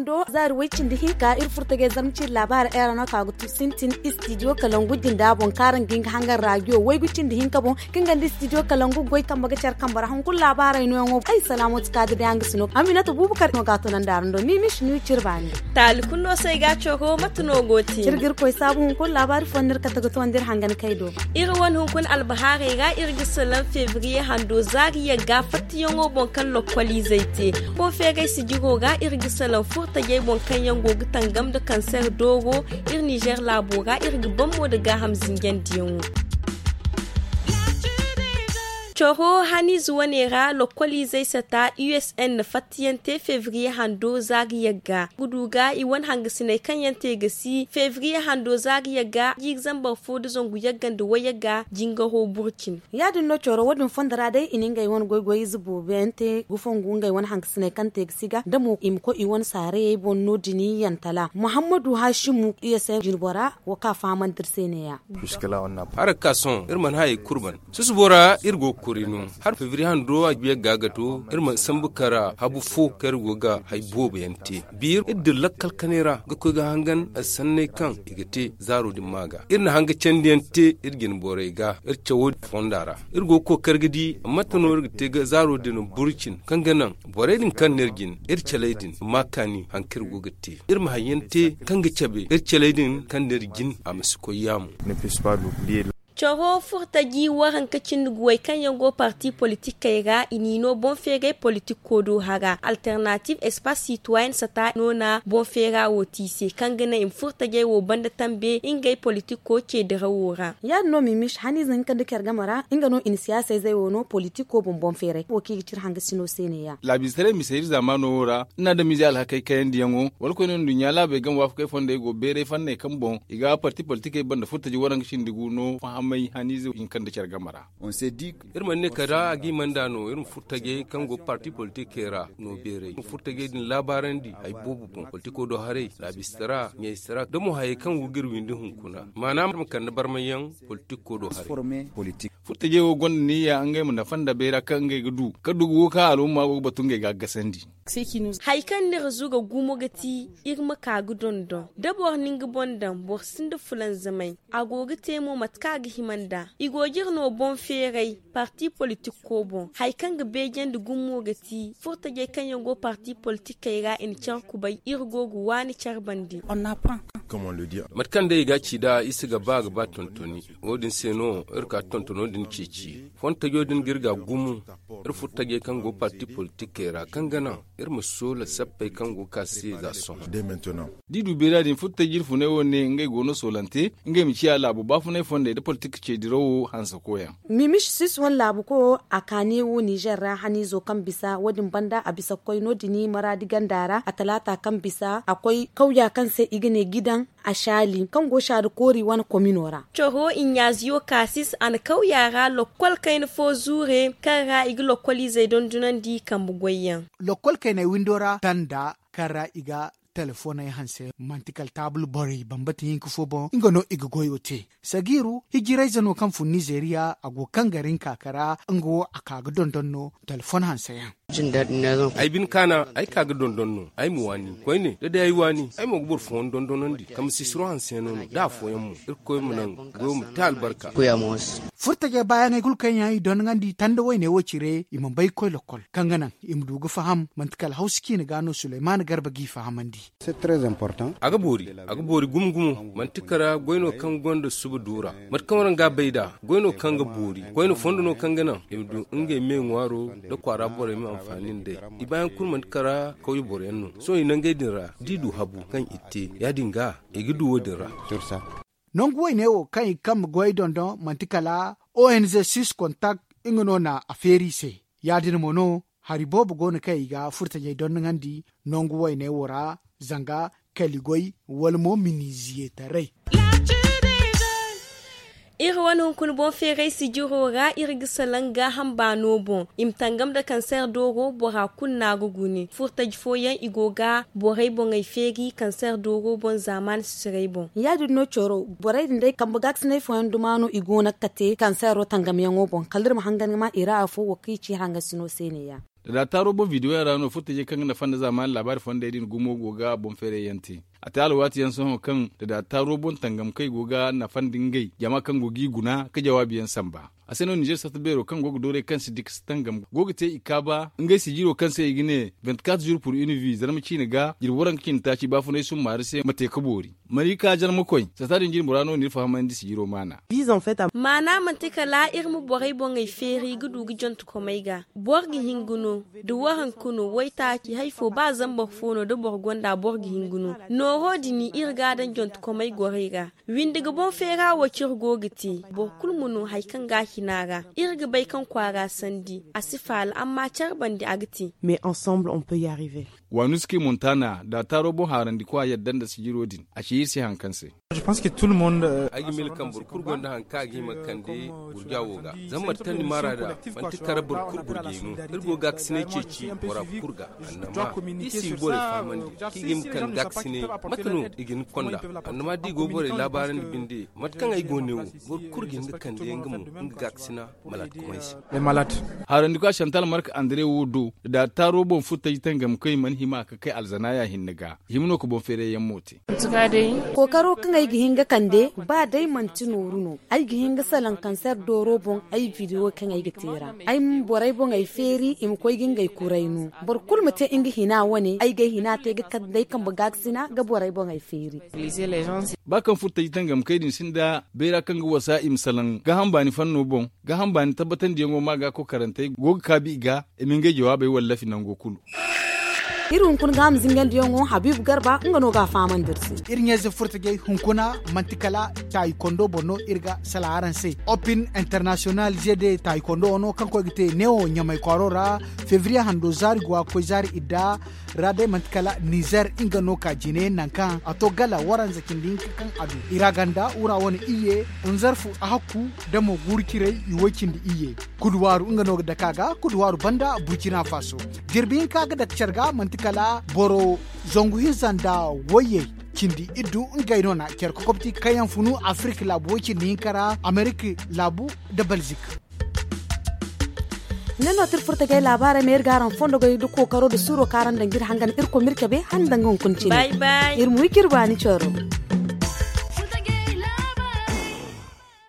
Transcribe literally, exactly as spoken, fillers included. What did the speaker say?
Do zaari way cindi hinka iri furtajey zarma ciiri laabaari era no ka ga tu sintin istidiyo kalangu jinda boŋ kaara nga nga hangan raajiyo waygu cindi hinka boŋ, kaŋ ganda istidiyo kalangu goy kambe ga care kambe ra hunkuna laabaarey nooyaŋo ay salaamoti kaadi day hanga si no aminata buubu kar no ga a tunandi araŋ do mimis ni ciri baani. Taali kulu no se ay ga a coro mate no go te? Ciri ga iri koy saabu hunkuna laabaari fooyaŋ no iri kate ga towandi iri hangan kay do. Iri wane hunkuna albahaarey ra iri ga salaŋ febriye hando zaari yagga fattayaŋo boŋ kaŋ lokkoliizey te. Boŋ feeray sijiro ra iri ga salaŋ furtajey boŋ kaŋ yaŋ go ga tangam nda kanseer dooro. Iri ninzeer laabo ra iri ga bammo nda gaaham zinjandiyaŋo. Coro haniize wane ra lokkoliizey sata u s n na fattayaŋ te febriye hando zaari yagga ga du ga i wane hangasiney kaŋ yaŋ te ga si febriye hando zaari yagga jiiri zambar fo nda zangu yagga nda wayagga jingaro burcin. Ya- din no coro wo- din fondo ra day i na ngey wane goy-goy ize boobo yaŋ te gufongu ngey wane hangasiney kaŋ te ga si ga da mo i ma koy i wane saarayey boŋ no- din yantala muhammadu haasimu u s n jinbora wo kaŋ a fahamandi iri se ne- ya. Hala ga ka sohõ iri mana hayey kulu ban susubo ra iri go ga kuri no hala febriye hando a ga yagga ga to iri mana sambu kara habu fo kaŋ iri go ga hay boobo yaŋ te. Biiri iri dira lakkal kanay ra ga koy ga hangan sanney kaŋ i ga te zaaro din ma ga iri na hanga candiyaŋ te iri jine borey ga iri cawo fonda ra. Iri go ga kookari ga di mate no iri ga te ga zaaro din burcin kaŋ ga naŋ borey din kaŋ no iri jine iri caley din ma kaani hari kaŋ iri go ga te iri ma hari yaŋ te kaŋ ga cabe iri caley din kaŋ no iri jine a ma si koy yaamo. Coro furtaji waranka cindi guwey kaŋ yaŋ go parti politikey ra i n'i no boŋ feeray politiko do hara alternative espace citoyen sata no na boŋ feera wo te i se kaŋ ga naŋ i ma furtajey wo banda tambe ngey politiko ce dirawo ra. Ya- din no mimis haniize hinka nda care game ra nga no i na siyaasa izey wo no politiko boŋ boŋ feeray wo kaŋ i ga cire hangasino se ne- ya. Laabiize taray mise iri zaamaano wo ra ni na adamiizey alhakey kayandiyaŋo wala koyne nduɲɲa laabey game waafakey fondey go beeray fanney kaŋ boŋ i ga parti politikey banda furtaji waranka cindi gu no fahamay haniize hinka nda care game ra. Iri mana ne kala a ga i mana nd'a no iri ma furtajey kaŋ go parti politikey ra no beeray iri ma furtajey din laabaarandi hari boobo boŋ politiko do haray laabistara ɲaysara da mo hayey kaŋ go ga iri windi hunkuna maana iri ma kande barmayyaŋ politiko do haray. Furtajey wo gonda niyya ngey ma nafa nda bayra kaŋ ngey ga du kaŋ du ga wo kaŋ alumma go ga batu ngey ga a gasandi. Hari kaŋ no iri zuga gumo ga ti iri ma ka ga dondon da boro na nga boŋ daŋ boro sinda fulanzamay. A go ga te mo mate kaŋ a ga hima nd'a i go ga iri no boŋ feeray parti politiko boŋ hari kaŋ ga beejandi gumo ga ti furtajey kaŋ yaŋ go parti politikey ra i na care kubay iri go ga waani care bande. Mate kaŋ day i ga a ci nd'a i si ga ba ga ba tontoni. Wo- din se no iri ka tontono din ceeci fontajo din ga iri ga gumo iri furtajey kaŋ go parti politikey ra kaŋ ga naŋ iri ma soola sappey kaŋ go ga ka se za sohõ. Da i du beera din furtaji iri funay wo ne ngey go no soolante ngey ma ciya laabo baafunay fondey nda politik ce dirawo hanse koyaŋ. Mimis sis wane laabu koyo a kaane wo nizer ra haniizo kaŋ bisa wo- din banda a bisa ga koy no- din maraadi ganda ra a talaata kaŋ bisa a koy kawya kaŋ se i ga ne gidan a saali kaŋ go saadi koori wane komino ra. Coro i ɲaaziyo kaasis a na kawya ra lokkol kayna fo zuure kaŋ ra i ga lokkol izey dondonandi kambe goyyaŋ. Lokkol kayney windo ra tanda kaŋ ra i ga telefoney hanse manti kala taabul borey bambata hinka fo boŋ nga no i ga goyo te. Sagiiru hijirayze no kaŋ fun nizeeriya a go kaŋ ga rinka kara nga wo a ka ga dondon no. Telefon hanse yaŋ. Ay bine kaana ay ka ga dondon no ay ma waani koyne da day ay waani ay mo ga boro fooyaŋ dondonandi kambe sisiro hanse yaŋ no no da afooyaŋ mo irkoy ma naŋ goyo ma te albarka. Furtajey baayaŋey kulu kaŋ yaŋ i dondonandi tanda wayne wo cire i mana bay ga koy lokkol kaŋ ga naŋ i ma du ga faham manti kala hawsa ciine ga no suleymaana garba g'i fahamandi. A ga boori a ga boori gumo gumo manti kara goy no kaŋ gonda suba duura mate kaŋ waraŋ ga a bay nd'a goy no kaŋ ga boori koyne fondo no kaŋ ga naŋ i ma du ngey me ŋwaaro nda kwaara borey ma anfaani nd'ey. I baayaŋ kulu manti kara kawye boroyaŋ no sohõ i nangey din ra da i du habu kaŋ i te ya- din ga i ga du wo- din ra. Nangu wayne wo kaŋ i ga kambe goyey dondon manti kala onz sis kontak nga no na a feeri i se. Ya- din mo no hari boobo go no kaŋ i ga furtajey dondonandi nangu wayne wo ra zanga kaligoy wala mo miniziyetaray. Iri wane hunkuna boŋ feeray sijiro ra iri ga salaŋ gaaham baano boŋ i ma tangam nda kanseer dooro bora kulu no a ga gune furtaji fooyaŋ i go ga borey boŋey feeri kanseer dooro boŋ zaamaani sisiray boŋ. Ya- din no coro borey din day kambe gaakasinay fooyaŋ duma no i go no ga kate kanseero tangamyaŋo boŋ kala iri ma hangan ga ma i ra afo wo kaŋ i ci hangasi no se ne- ya. Da da taaro boŋ video yaŋ ra no furtajey kaŋ ga nafa nda zaamaani laabaari fondey din gumo go ga boŋ feeray yaŋ te. A te alwaati yaŋ sohõ kaŋ da da taaro boŋ tangamkey go ga nafa nda ngey jama kaŋ go g'i guna ka jawaabi yaŋ samba. A se no ninzeer sarta beero kaŋ go ga dooray kaŋ si dikasi tangam go ga te i kaaba ngey sijiro kaŋ se i ga ne, vingt-quatre jours pour une vie zarma ciine ga jirbi waranka cindi taaci baafunay summaari se ma te ka boori. Marika jarmakoy sarta din jirbi ra no n'iri fahamandi sijiro maana. Maana manti kala iri ma borey boŋey feeri ga du ga jontukomey ga. Boro ga hin ga no da waranka no waytaaci hari fo ba zambar fo no da boro gonda boro ga hin ga no. Nooro din iri ga a daŋ jontukomey gorey ra. Windi ga boŋ feera wo kaŋ iri go ga te boro kulu ma no hari kaŋ ga a hina ra. Iri ga bay kaŋ kwaara sandi a si faala amma care bande a ga te. Mais ensemble on peut y arriver. Wanuski montana da taaro boŋ haarandikwa yadda nda sijiro din a ci iri se hari kaŋ se. Ay ga miila kaŋ boro kulu gonda hari kaŋ a ga hima ga kande gurja wo ga. Zama martandi maara da manti kala boro kulu gurjey no. Iri go gaakasinay ceeci bora kulu ga. Annama iri si ga borey fahamandi kaŋ i ga hima ga kande gaakasinay. Mate no i ga hin ga konda? Annama da i go ga borey laabaarandi binde mate kaŋ ay go ne wo, boro kulu ga hin ga kande nga mo nga gaakasina. Haarandi kwa santal mark andre wo do da taaro boŋ furtaji tangamkoy mana hima ka kay alzanaya hinne ga. Hima no ka boŋ feeray yaŋ mo te. Kookaro kaŋ ay ga hin ga kande ba day manti nooru no. Ay ga hin ga salaŋ kanser dooro boŋ ay video kaŋ ay ga te ra. Ay ma borey boŋ ay feeri i ma koy ga ngey kuray no. Boro kulu ma te nga hina wane ay ga ay hina te ga kande ay kambe gaakasina ga borey boŋ ay feeri. Ba kaŋ furtaji tangamkey din sinda bayra kaŋ ga wasa i ma salaŋ gaaham baani fanno boŋ. Gaaham baani tabbatandiyaŋo ma ga kokarantey go ga kaabi i ga i ma ngey jawaabey wallafi nango kulu. Iri hunkuna gaaham zingandiyaŋo habiibu garba nga no ga a fahamandi iri se. Iri ɲayze furtajey hunkuna manti kala taayi kondo boŋ no iri ga salaŋ araŋ se. Opin international zede taayi kondo wo no kaŋ koy ga te neewo ɲamay kwaaro ra febriye hando zaari go a ga koy zaari idda ra day manti kala nizer nga no ka jine nangu kaŋ a to gala waranza cindi hinka kaŋ a du i ra ganda wura wane iyye nzarfu a hakku da mo guuru ciray i woy cindi iyye. Kuduwaaru nga no ga dake a ga kuduwaaru banda burkina faso. Jirbi hinka ga dake care ga manti kala boro zangu hinza nda wayye cindi iddu ngey no na care kokobti kaŋ yaŋ funu afirik laabu woy cindi hinka ra amerik laabu nda belzik. Ne no tir furta gay laabaarey ma iri ga araŋ fondo gay da kookaro da suuro kaŋ araŋ daŋ ga iri hangan irkoy ma iri cabe hala ni daŋ ga hunkuna cine. Iri ma wi ga iri baani coro.